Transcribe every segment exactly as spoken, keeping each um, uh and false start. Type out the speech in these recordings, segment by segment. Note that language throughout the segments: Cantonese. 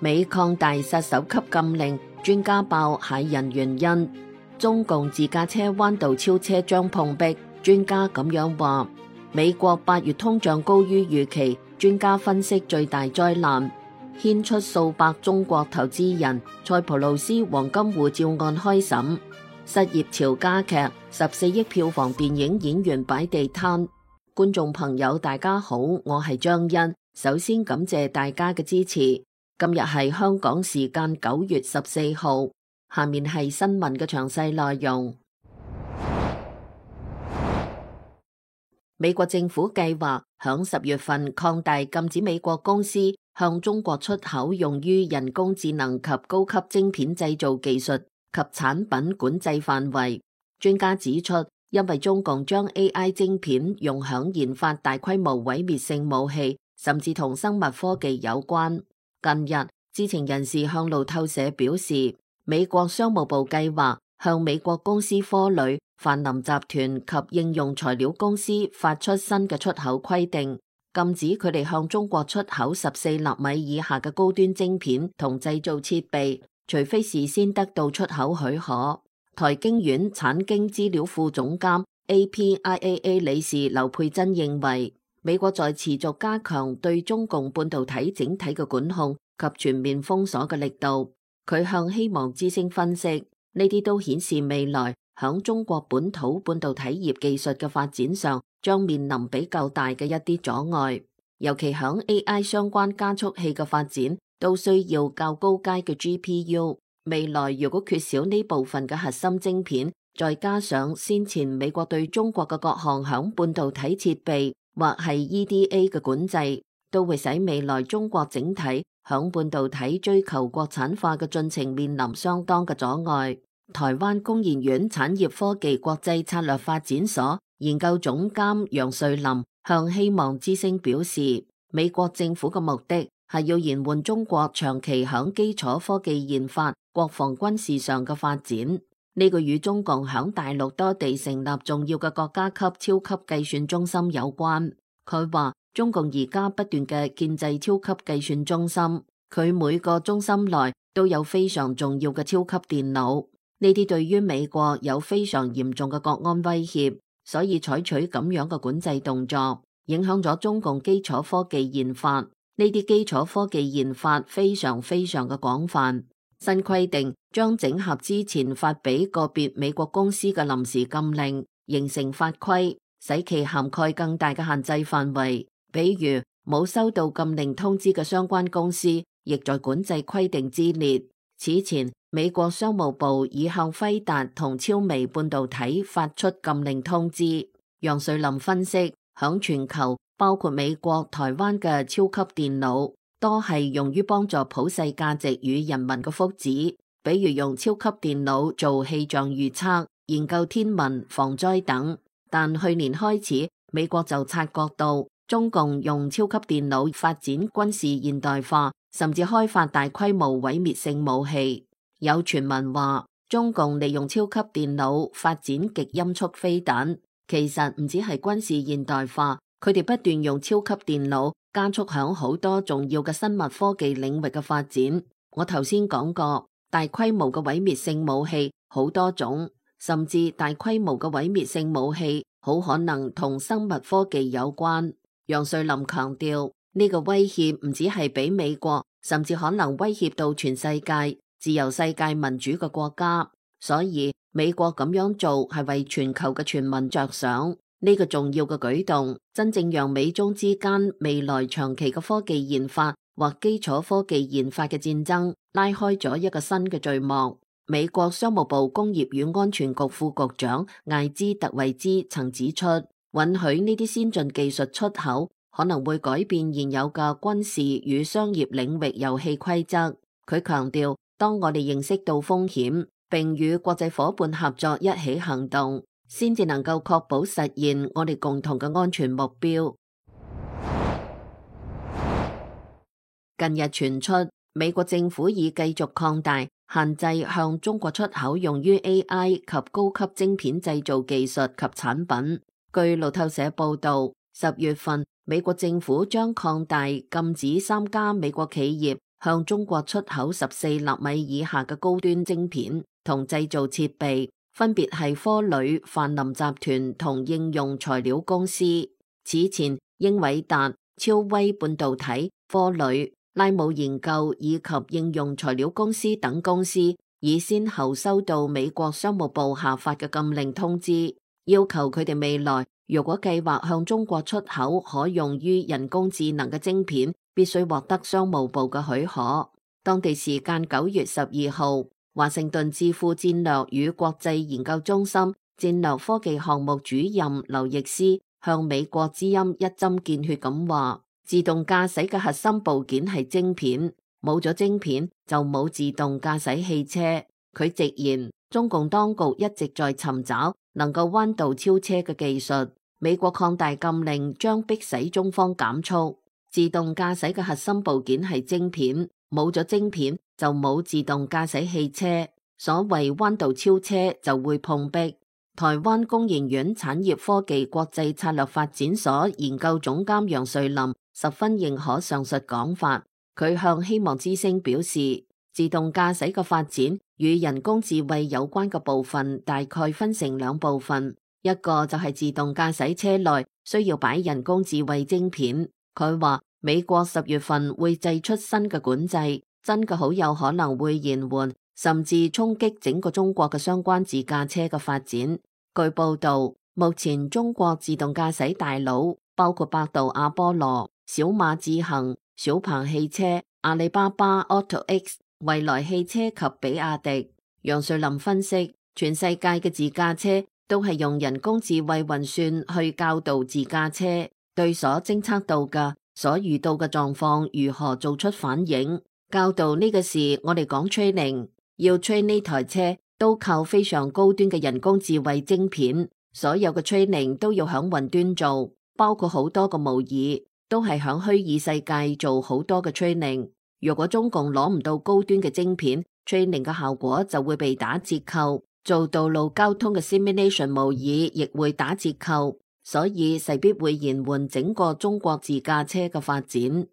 美擴大殺手級禁令，專家爆駭人原因。中共自駕車彎道超車將碰壁，專家咁樣話。美國八月通脹高於預期，專家分析最大災難。牽出數百中國投資人，塞浦路斯黃金護照案開審。失業潮加劇，十四億票房電影演員擺地攤。觀眾朋友大家好，我係張欣，首先感謝大家嘅支持。今日係香港時間九月十四號，下面係新聞嘅詳細內容。美國政府計劃響十月份擴大禁止美國公司向中國出口用於人工智能及高級晶片製造技術及產品管制範圍。專家指出，因為中共將 A I 晶片用響研發大規模毀滅性武器，甚至同生物科技有關。近日，知情人士向路透社表示，美國商務部計劃向美國公司科磊、泛林集團及應用材料公司發出新嘅出口規定，禁止佢哋向中國出口十四納米以下嘅高端晶片同製造設備，除非事先得到出口許可。台經院產經資料庫總監 A P I A A 理事劉佩珍認為，美國在持續加強對中共半導體整體嘅管控及全面封鎖嘅力度。佢向希望之聲分析，呢啲都顯示未來響中國本土半導體業技術嘅發展上將面臨比較大嘅一啲阻礙，尤其響 A I 相關加速器嘅發展都需要較高階嘅 G P U。未來如果缺少呢部分嘅核心晶片，再加上先前美國對中國嘅各項響半導體設備或係 E D A 嘅管制，都會使未來中國整體響半導體追求國產化嘅進程面臨相當嘅阻礙。台灣工研院產業科技國際策略發展所研究總監楊瑞林向希望之聲表示，美國政府嘅目的係要延緩中國長期響基礎科技研發、國防軍事上嘅發展。呢個與中共響大陸多地成立重要嘅國家級超級計算中心有關。佢話中共而家不斷嘅建制超級計算中心，佢每個中心內都有非常重要嘅超級電腦。呢啲對於美國有非常嚴重嘅國安威脅，所以採取咁樣嘅管制動作，影響咗中共基礎科技研發。呢啲基礎科技研發非常非常嘅廣泛。新規定將整合之前發俾個別美國公司嘅臨時禁令，形成法規，使其涵蓋更大嘅限制範圍。比如冇收到禁令通知嘅相關公司，亦在管制規定之列。此前，美國商務部已向輝達同超微半導體發出禁令通知。楊瑞林分析，響全球包括美國、台灣嘅超級電腦，多係用於幫助普世價值與人民嘅福祉，比如用超級電腦做氣象預測、研究天文、防災等。但去年開始，美國就察覺到中共用超級電腦發展軍事現代化，甚至開發大規模毀滅性武器。有傳聞話，中共利用超級電腦發展極音速飛彈，其實唔止係軍事現代化，佢哋不斷用超級電腦加速響好多重要嘅生物科技領域嘅發展。我頭先講過，大規模嘅毀滅性武器好多種，甚至大規模嘅毀滅性武器好可能同生物科技有關。楊瑞林強調，呢個威脅唔止係俾美國，甚至可能威脅到全世界自由世界民主嘅國家。所以美國咁樣做係為全球嘅全民着想。呢個重要嘅舉動，真正讓美中之間未來長期嘅科技研發或基礎科技研發嘅戰爭拉開咗一個新嘅序幕。美國商務部工業與安全局副局長艾茲特維茲曾指出，允許呢啲先進技術出口可能會改變現有嘅軍事與商業領域遊戲規則。佢強調，當我哋認識到風險，並與國際夥伴合作一起行動，先至能夠確保實現我哋共同嘅安全目標。近日傳出，美國政府已繼續擴大限制向中國出口用於 A I 及高級晶片製造技術及產品。據路透社報道，十月份美國政府將擴大禁止三家美國企業向中國出口十四納米以下嘅高端晶片同製造設備，分別係科磊、泛林集團同應用材料公司。此前，英偉達、超威半導體、科磊、拉姆研究以及應用材料公司等公司已先後收到美國商務部下發嘅禁令通知，要求佢哋未來如果計劃向中國出口可用於人工智能嘅晶片，必須獲得商務部嘅許可。當地時間九月十二號，華盛頓智庫戰略與國際研究中心戰略科技項目主任劉易斯向美國之音一針見血咁話：自動駕駛嘅核心部件係晶片，冇咗晶片就冇自動駕駛汽車。佢直言，中共當局一直在尋找能夠彎道超車嘅技術，美國擴大禁令將迫使中方減速。自動駕駛嘅核心部件係晶片，冇咗晶片就冇自動駕駛汽車。所謂彎道超車就會碰壁。台灣工研院產業科技國際策略發展所研究總監楊瑞林十分認可上述講法。佢向希望之聲表示，自動駕駛嘅發展與人工智慧有關嘅部分大概分成兩部分，一個就係自動駕駛車內需要擺人工智慧晶片。佢話美國十月份會祭出新嘅管制，真嘅好有可能會延緩甚至衝擊整個中國嘅相關自駕車嘅發展。據報道，目前中國自動駕駛大佬包括百度阿波羅、小馬智行、小鵬汽車、阿里巴巴 AutoX、蔚來汽車及比亞迪。楊瑞林分析，全世界嘅自駕車都係用人工智慧運算去教導自駕車，對所偵測到嘅、所遇到嘅狀況如何做出反應。教導呢個事，我哋講 training， 要 train 呢台車都靠非常高端嘅人工智慧晶片，所有嘅 training 都要響雲端做，包括好多個模擬，都係響虛擬世界做好多嘅 training。如果中共攞唔到高端嘅晶片， training 嘅效果就會被打折扣，做道路交通嘅 simulation 模擬亦會打折扣。所以勢必會延緩整個中國自駕車嘅發展。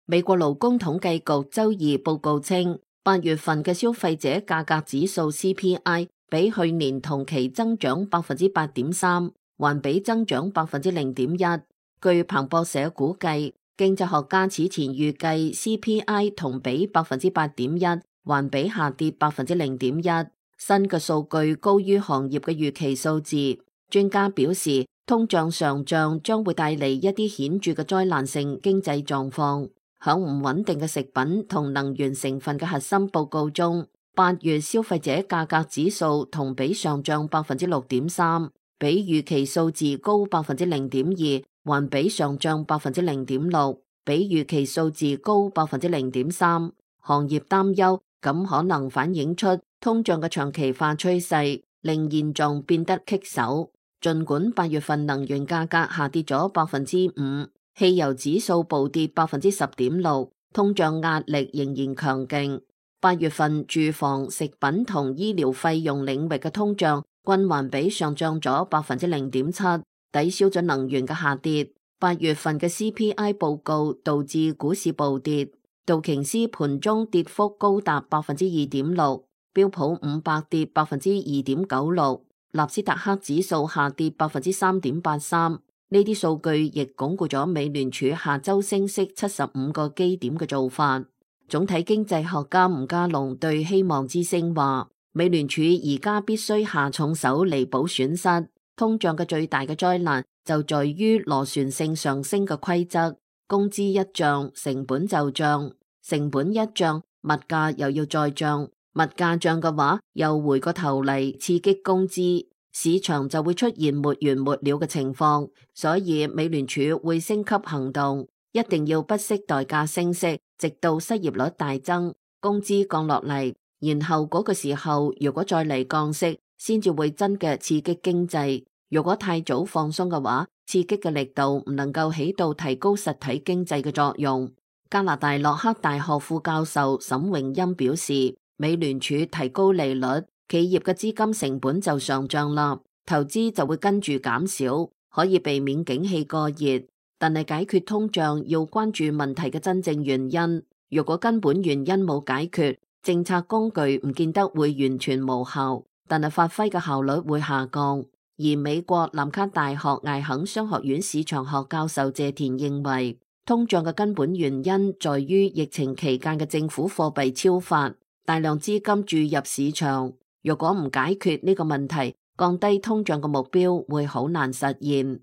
美國勞工統計局周二報告稱，八月份嘅消費者價格指數 C P I 比去年同期增長百分之八點三，環比增長百分之零點一。據彭博社估計，經濟學家此前預計 C P I 同比百分之八點一，環比下跌百分之零點一。新嘅數據高於行業嘅預期數字，專家表示通脹上漲將會帶嚟一啲顯著嘅災難性經濟狀況。響唔穩定嘅食品同能源成分嘅核心報告中，八月消費者價格指數同比上漲百分之六點三，比預期數字高百分之零點二，環比上漲百分之零點六，比預期數字高百分之零點三。行業擔憂咁可能反映出通脹嘅長期化趨勢，令現狀變得棘手。儘管八月份能源價格下跌咗百分之五，汽油指數暴跌百分之十點六，通脹壓力仍然強勁。八月份住房、食品同醫療費用領域嘅通脹均環比上漲咗百分之零點七，抵消咗能源嘅下跌。八月份嘅 C P I 報告導致股市暴跌，道瓊斯盤中跌幅高達百分之二點六，標普五百跌百分之二點九六，納斯達克指數下跌百分之三點八三。呢啲數據亦鞏固咗美聯儲下周升息七十五個基點嘅做法。總體經濟學家吳家龍對希望之聲話，美聯儲而家必須下重手彌補損失。通脹嘅最大嘅災難就在於螺旋性上升嘅規則，工資一漲，成本就漲，成本一漲，物價又要再漲，物價漲嘅話，又回個頭嚟刺激工資，市場就會出現沒完沒了嘅情況。所以美聯儲會升級行動，一定要不惜代價升息，直到失業率大增，工資降落嚟，然後嗰個時候如果再嚟降息，先至會真嘅刺激經濟。如果太早放鬆嘅話，刺激嘅力度唔能夠起到提高實體經濟嘅作用。加拿大洛克大學副教授沈榮欽表示，美聯儲提高利率，企業嘅資金成本就上漲啦，投資就會跟住減少，可以避免景氣過熱。但係解決通脹要關注問題嘅真正原因。如果根本原因冇解決，政策工具唔見得會完全無效，但係發揮嘅效率會下降。而美國南卡大學艾肯商學院市場學教授謝田認為，通脹嘅根本原因在於疫情期間嘅政府貨幣超發，大量資金注入市場。如果唔解決呢個問題，降低通脹嘅目標會好難實現。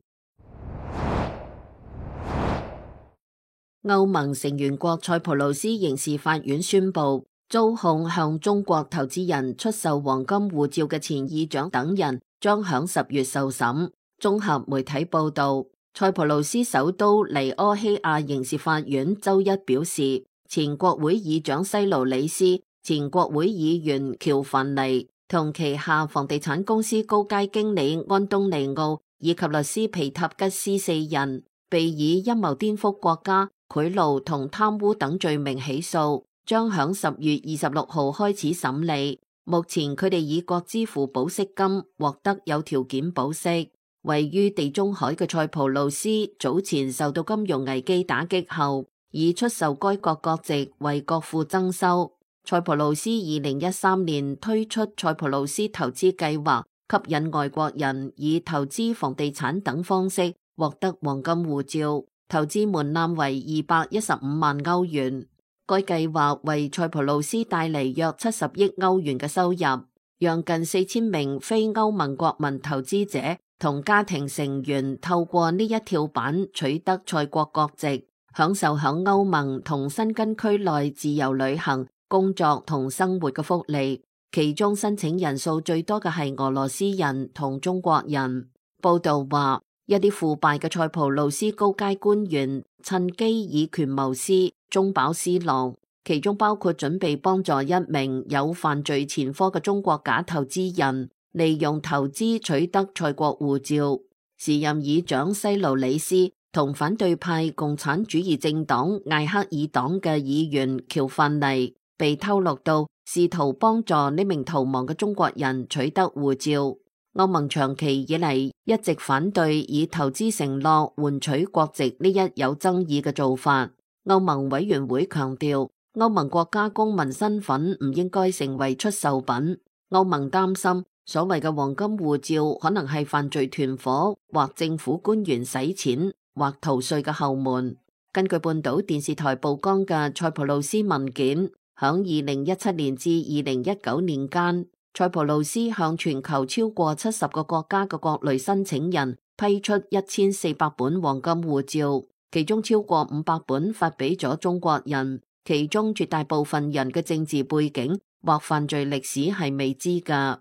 歐盟成員國塞浦路斯刑事法院宣布，遭控向中國投資人出售黃金護照嘅前議長等人將響十月受審。綜合媒體報道，塞浦路斯首都尼柯希亞刑事法院周一表示，前國會議長西勞里斯、前國會議員喬凡尼同旗下房地產公司高階經理安東尼奧以及律師皮塔吉斯四人，被以陰謀顛覆國家、賄賂同貪污等罪名起訴，將響十月二十六號開始審理。目前佢哋已各支付保釋金，獲得有條件保釋。位於地中海嘅塞浦路斯早前受到金融危機打擊後，以出售該國國籍為國庫增收。塞浦路斯二零一三年推出塞浦路斯投資計劃，吸引外國人以投資房地產等方式獲得黃金護照。投資門檻為二百一十五萬歐元，該計劃為塞浦路斯帶嚟約七十億歐元嘅收入，讓近四千名非歐盟國民投資者同家庭成員透過呢一跳板取得塞國國籍，享受響歐盟同申根區內自由旅行、工作同生活嘅福利。其中申請人數最多嘅係俄羅斯人同中國人。報道話，一啲腐敗嘅塞浦路斯高階官員趁機以權謀私，中飽私囊，其中包括準備幫助一名有犯罪前科嘅中國假投資人，利用投資取得塞國護照。時任議長西勞里斯同反對派共產主義政黨艾克爾黨嘅議員喬范尼被透露到試圖幫助呢名逃亡嘅中國人取得護照。歐盟長期以嚟一直反對以投資承諾換取國籍呢一有爭議嘅做法。歐盟委員會強調，歐盟國家公民身份唔應該成為出售品。歐盟擔心所謂嘅黃金護照可能係犯罪團夥或政府官員洗錢或逃稅嘅後門。根據半島電視台曝光嘅塞浦路斯文件，響二零一七年至二零一九年間，塞浦路斯向全球超過七十個國家嘅各類申請人批出一千四百本黃金護照，其中超過五百本發俾咗中國人，其中絕大部分人嘅政治背景或犯罪歷史係未知㗎。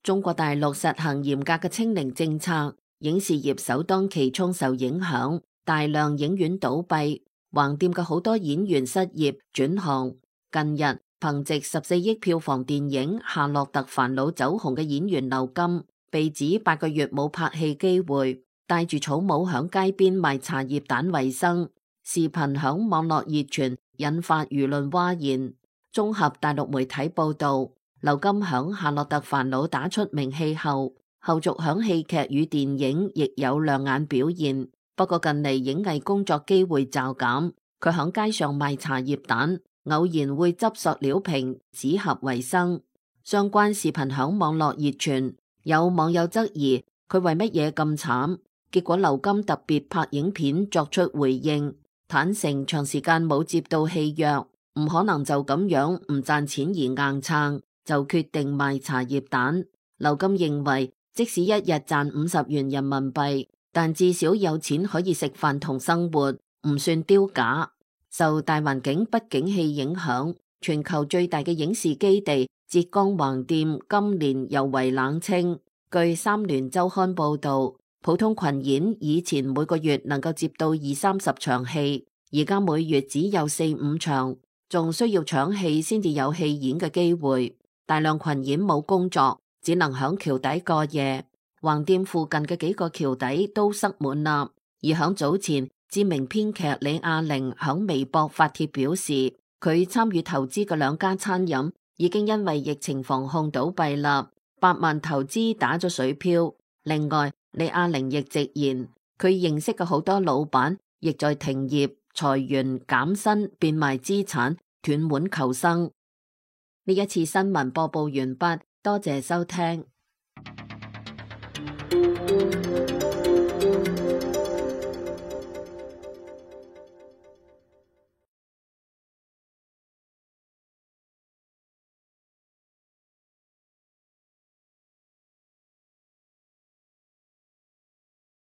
中國大陸實行嚴格嘅清零政策，影視業首當其衝受影響，大量影院倒閉，橫店嘅好多演員失業轉行。近日憑借十四億票房電影《夏洛特煩惱》走紅嘅演員劉金，被指八個月冇拍戲機會，帶住草帽響街邊賣茶葉蛋為生。視頻響網絡熱傳，引發輿論譁然。綜合大陸媒體報道，劉金響《夏洛特煩惱》打出名氣後，後續響戲劇與電影亦有亮眼表現。不過近嚟影藝工作機會驟減，佢響街上賣茶葉蛋，偶然會執塑料瓶、紙盒為生。相關視頻響網絡熱傳，有網友質疑佢為乜嘢咁慘，結果劉金特別拍影片作出回應，坦承長時間冇接到戲約，唔可能就咁樣唔賺錢而硬撐，就決定賣茶葉蛋。劉金認為，即使一日賺五十元人民幣，但至少有錢可以食飯同生活，唔算丟架。受大環境不景氣影響，全球最大嘅影視基地浙江橫店今年尤為冷清。據三聯週刊報道，普通群演以前每個月能夠接到二三十場戲，而家每月只有四五場，仲需要搶戲先至有戲演嘅機會。大量群演冇工作，只能響橋底過夜。橫店附近嘅幾個橋底都塞滿啦。而響早前，知名編劇李亞玲響微博發帖表示，佢參與投資嘅兩家餐飲已經因為疫情防控倒閉啦，百萬投資打咗水漂。另外，李亞玲亦直言，佢認識嘅好多老闆亦在停業、裁員、減薪、變賣資產、斷腕求生。呢一次新聞播報完畢，多謝收聽。